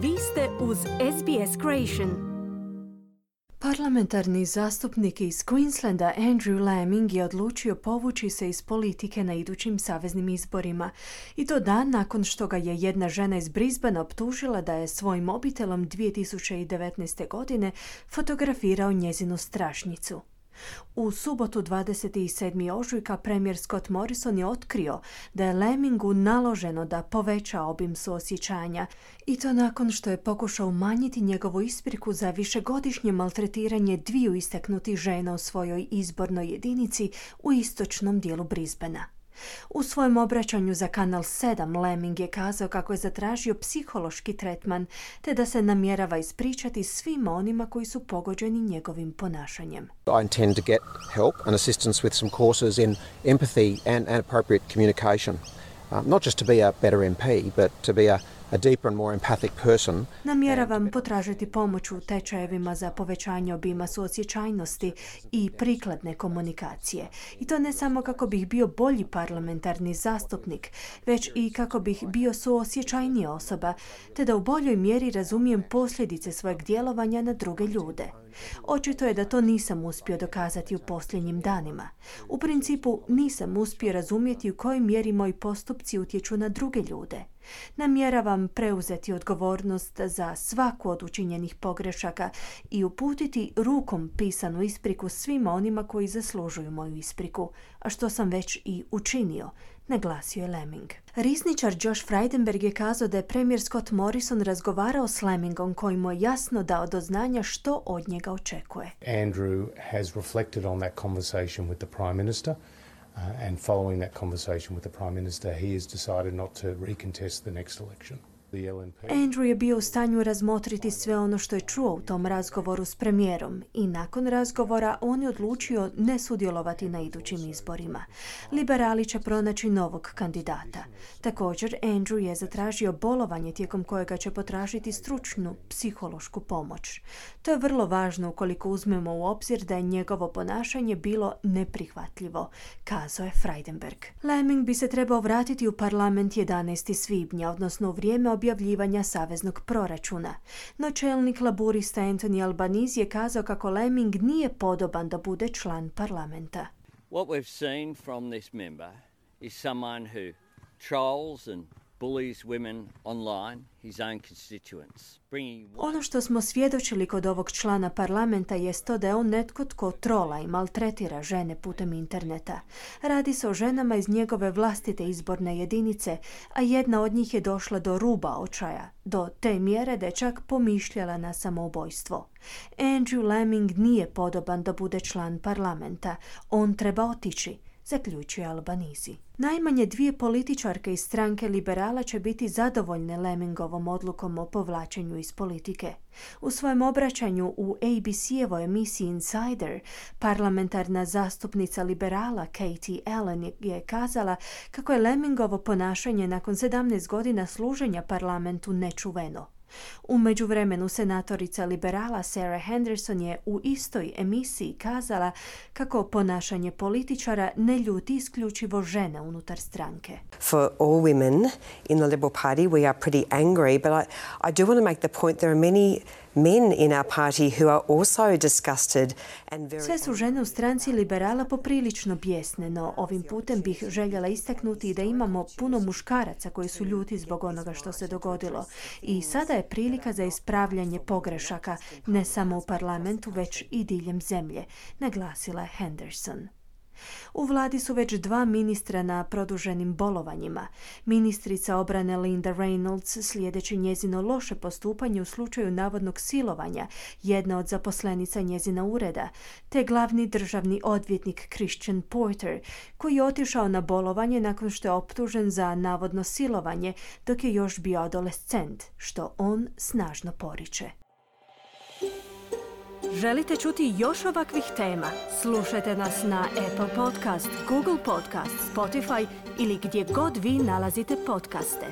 Vi ste uz SBS Creation. Parlamentarni zastupnik iz Queenslanda Andrew Laming je odlučio povući se iz politike na idućim saveznim izborima. I to dan nakon što ga je jedna žena iz Brisbanea optužila da je svojim mobitelom 2019. godine fotografirao njezinu strašnicu. U subotu 27. ožujka premijer Scott Morrison je otkrio da je Lamingu naloženo da poveća obim suosjećanja i to nakon što je pokušao umanjiti njegovu ispriku za višegodišnje maltretiranje dviju istaknutih žena u svojoj izbornoj jedinici u istočnom dijelu Brisbanea. U svojem obraćanju za Kanal 7 Laming je kazao kako je zatražio psihološki tretman te da se namjerava ispričati svima onima koji su pogođeni njegovim ponašanjem. I intend to get help and assistance with some courses in empathy and appropriate communication. Not just to be a better MP, but to be a deeper and more empathic person. Namjeravam potražiti pomoć u tečajevima za povećanje obima suosjećajnosti i prikladne komunikacije. I to ne samo kako bih bio bolji parlamentarni zastupnik, već i kako bih bio suosjećajnija osoba, te da u boljoj mjeri razumijem posljedice svojeg djelovanja na druge ljude. Očito je da to nisam uspio dokazati u posljednjim danima. U principu nisam uspio razumjeti u kojoj mjeri moji postupci utječu na druge ljude. Namjeravam preuzeti odgovornost za svaku od učinjenih pogrešaka i uputiti rukom pisanu ispriku svima onima koji zaslužuju moju ispriku, a što sam već i učinio, naglasio je Laming. Risničar Josh Frydenberg je kazao da je premijer Scott Morrison razgovarao s Lamingom koji mu je jasno dao do znanja što od njega očekuje. Andrew has reflected on that conversation with the Prime Minister. And following that conversation with the Prime Minister, he has decided not to recontest the next election. Andrew je bio u stanju razmotriti sve ono što je čuo u tom razgovoru s premijerom i nakon razgovora on je odlučio ne sudjelovati na idućim izborima. Liberali će pronaći novog kandidata. Također, Andrew je zatražio bolovanje tijekom kojega će potražiti stručnu psihološku pomoć. To je vrlo važno ukoliko uzmemo u obzir da je njegovo ponašanje bilo neprihvatljivo, kazao je Frydenberg. Laming bi se trebao vratiti u parlament 11. svibnja, odnosno u vrijeme objavljivanja saveznog proračuna. No čelnik laburista Anthony Albanese je kazao kako Laming nije podoban da bude član parlamenta. What we've seen from this member is someone who trolls and bullies women online, his own constituents. Ono što smo svjedočili kod ovog člana parlamenta jest to da je on netko tko trola i maltretira žene putem interneta. Radi se o ženama iz njegove vlastite izborne jedinice, a jedna od njih je došla do ruba očaja, do te mjere da je čak pomišljala na samoubojstvo. Andrew Laming nije podoban da bude član parlamenta. On treba otići, zaključuje Albanese. Najmanje dvije političarke iz stranke liberala će biti zadovoljne Lamingovom odlukom o povlačenju iz politike. U svojem obraćanju u ABC-evoj emisiji Insider, parlamentarna zastupnica liberala Katie Allen je kazala kako je Lamingovo ponašanje nakon 17 godina služenja parlamentu nečuveno. U međuvremenu senatorica liberala Sarah Henderson je u istoj emisiji kazala kako ponašanje političara ne ljuti isključivo žene unutar stranke. For all women in the Liberal Party we are pretty angry, but I do want to make the point there are many men in our party who are also disgusted and very... Sve su žene u stranci liberala poprilično bijesne, no ovim putem bih željela istaknuti da imamo puno muškaraca koji su ljuti zbog onoga što se dogodilo. I sada je prilika za ispravljanje pogrešaka, ne samo u parlamentu, već i diljem zemlje, naglasila je Henderson. U vladi su već 2 ministra na produženim bolovanjima. Ministrica obrane Linda Reynolds, slijedeći njezino loše postupanje u slučaju navodnog silovanja jedna od zaposlenica njezina ureda, te glavni državni odvjetnik Christian Porter, koji je otišao na bolovanje nakon što je optužen za navodno silovanje dok je još bio adolescent, što on snažno poriče. Želite čuti još ovakvih tema? Slušajte nas na Apple Podcast, Google Podcast, Spotify ili gdje god vi nalazite podcaste.